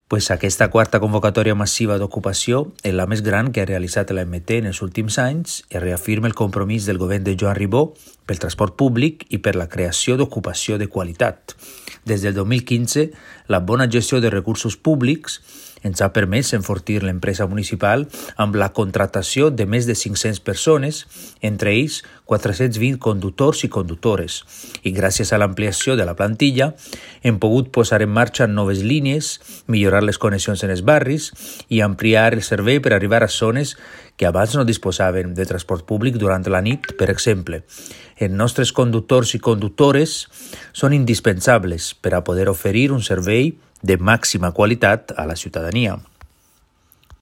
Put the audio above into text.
Pues aquesta quarta convocatòria massiva d'ocupació és la més gran que ha realitzat l'AMT en els últims anys i reafirma el compromís del govern de Joan Ribó pel transport públic i per la creació d'ocupació de qualitat. Des del 2015, la bona gestió de recursos públics ens ha permès enfortir l'empresa municipal amb la contractació de més de 500 persones, entre ells 420 conductors i conductores. I gràcies a l'ampliació de la plantilla hem pogut posar en marxa noves línies, millorar les connexions en els barris i ampliar el servei per arribar a zones que abans no disposaven de transport públic durant la nit, per exemple. Els nostres conductors i conductores són indispensables per a poder oferir un servei de màxima qualitat a la ciutadania.